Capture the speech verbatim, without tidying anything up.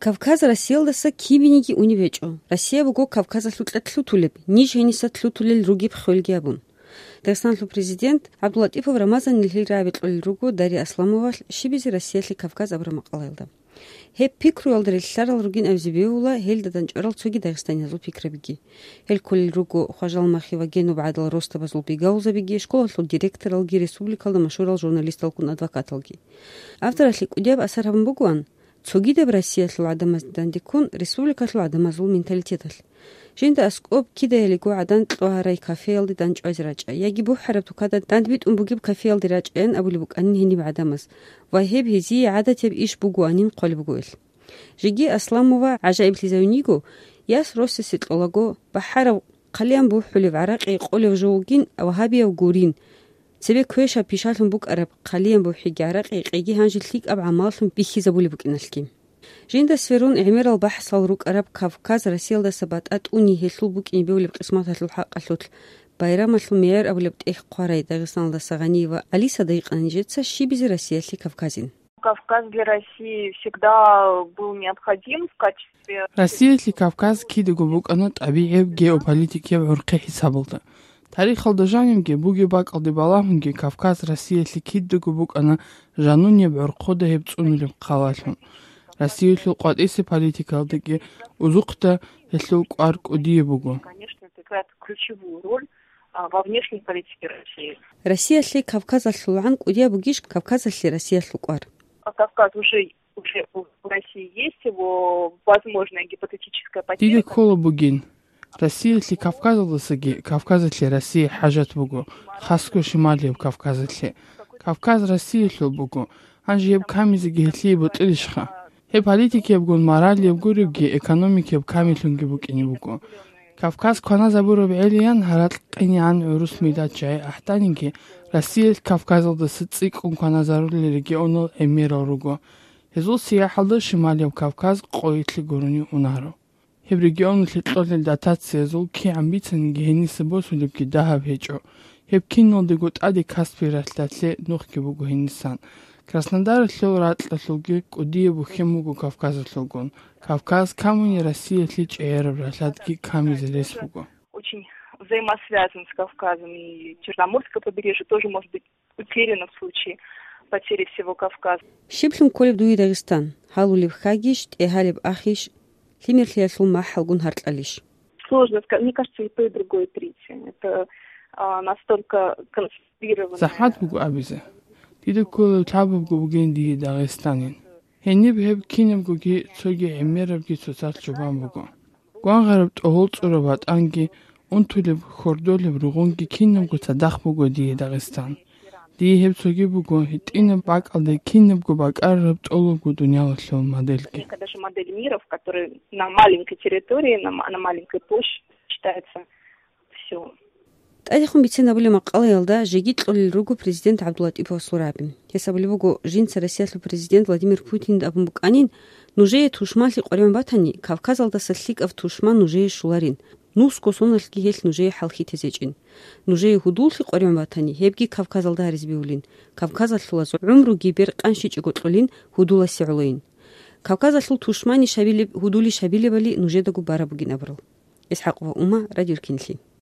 Кавказ Россиялдаса кибениги унеб гьечӀо. Россия буго Кавказалъукьа лъутулеб, ниж гьениса лъутулел ругеб хвелги абун. Дагъистаналъул президент ГӀабдуллатӀипов Рамазанил гьел рагӀаби кьолел руго Дарья Асламовалъ «Щибизе Россиялъе Кавказ» абураб макъалаялда. Гьеб пикруялда релълъарал ругин абизе бегьула гьелда дандчӀварал цоги дагъистаниязул пикрабиги. Гьел кколел руго Хважалмахи ва Генуб гӀадал росдабазул бигавулзабиги, школалъул директоралги, республикалда машгьурал журналисталгун адвокаталги. Авторалъе кӀудияб асар гьабун бугоан, цогидаб Россиялъул гӀадамазде дандеккун, республикалъул гӀадамазул менталитеталъ. Жинда аскӀоб кидаялиго гӀадан кьогьарай кафеялде дандчӀвазе рачӀа, яги бухӀараб тукада дандбитӀун бугеб кафеялде рачӀаян абулеб букӀанин гьениб гӀадамаз, ва гьеб гьезие гӀадатияб иш бугоанин хъвалеб буго гьел. Жеги Асламова гӀажаиблъизавин йиго, яс росасе кьолаго, бахӀарав хъалиян бухӀулев гӀаракъи къолев жо вугин ва гьабияв гурин, цебе квешаб пишалъун букӀараб хъалиян бухӀиги гӀаракъи къеги гьанже лъикӀаб гӀамаллъун бихьизабулеб букӀиналъги. Жинда сверун гӀемерал бахӀсал рукӀараб Кавказ Россиялдаса батӀа тӀуни гьелъул букӀине бевлеб къисматалъул хӀакъалъулъ байрамалъул мегӀер абулеб тӀехь хъварай Дагъистаналдаса Гъаниева Алиса дайкъана нижеца щибизе Россиялъе Кавказин. Кавказ для России всегда был необходим в качестве... Россиялъе Кавказ кидаго букӀана тӀабигӀияб геополитикияб гӀурхъи хӀисабалда. Тарихалда жанибги бугеб бакӀалде балагьунги Кавказ Россиялъе кидаго букӀана жанунеб гӀорхъода гьеб цӀунулеб хъалалъун. Россиялъул къватӀисе политикалдаги узухъда гьелъул кӀвар кӀудияб буго. Конечно, это играет ключевую роль, а, во внешней политике России. Россиялъе КавказалъулгӀан кӀудияб бугищ Кавказалъе Россиялъул кӀвар? А Кавказ уже, уже у России есть, его возможная гипотетическая потеря. Дида ккола бугин. Россиялъе Кавказалдасаги Кавказалъе Россие хӀажат буго, хасго шималияб Кавказалъе. Кавказ Россиялъул буго. Гьанже гьеб камизеги гьелъие бутӀилищха? Гьеб политикиябгун моралияб гуребги, экономикияб камиллъунги букӀине буго. Кавказ кваназабураб гӀелиян гьаракь къинегӀан гӀурус миллат жагьи ахӀданиги, Россиялъ Кавказалдаса цӀикӀкӀун кваназарулел регионал гӀемерал руго. Гьезул сияхӀалда Шималияб Кавказ къойилъе гурони унаро. Гьеб регионалъе кьолел дотациязул кигӀан бицаниги гьениса босулебги дагьаб гьечӀо. Гьеб киналдего тӀаде Каспий ралъдалъе нухги буго гьенисан. Краснодаралъул ракьалъулги кӀудияб бухьен буго Кавказалъулгун. Кавказ камуни Россиялъе чӀегӀераб ралъадги камизе рес буго. Очень взаимосвязан с Кавказом, и Черноморское побережье тоже может быть утеряно в случае потери всего Кавказа. Щиблъун кколеб дуе Дагъистан? Гьалулеб хьагищ, тӀегьалеб ахищ, лъимерлъиялъул махӀалгун гьаркьалищ? Сложно сказать. Мне кажется, и то, и другое третье. Это, а, настолько концентрированное. ЗахӀмат буго абизе. Дида кколеб лъабабго бугин дие Дагъистанин. Гьениб гьеб кинабгоги цоги гӀемерабги цоцалъ чӀобан буго. Гвангъараб тӀогьол цӀураб ватӀанги, унтулеб хьордолеб ругъунги кинабго цадахъ буго дие Дагъистан. Дие гьеб цоги буго гьитӀинаб бакӀалде кинабго бакӀарараб тӀолабго дуниялалъул модельги. Это даже модель мира, в которой на маленькой территории, на ма-, на маленькой площади считается всё. ТӀадехун бицен абулеб макъалаялда жеги кьолел руго президент ГӀабдуллатӀиповасул рагӀаби. Гьес абулеб буго, жинца Россиялъул президент Владимир Путинда абун букӀанин, нужее тушманлъи къваригӀун батани, Кавказалдаса лъикӀав тушман нужее щоларин, нусго соналъги гьелъ нужее хӀалхьи тезечӀин. Нужее гьудуллъи къваригӀун батани, гьебги Кавказалда гьаризе бегьулин, Кавказалъулаз гӀумруги бер къанщичӀого кьолин гьудуласе гӀолойин. Кавказалъул тушманищ гьабилеб, гьудулищ гьабилебали нужедаго бараб бугин абурал. ИсхӀакъова Ума, Радио Руккинлъи.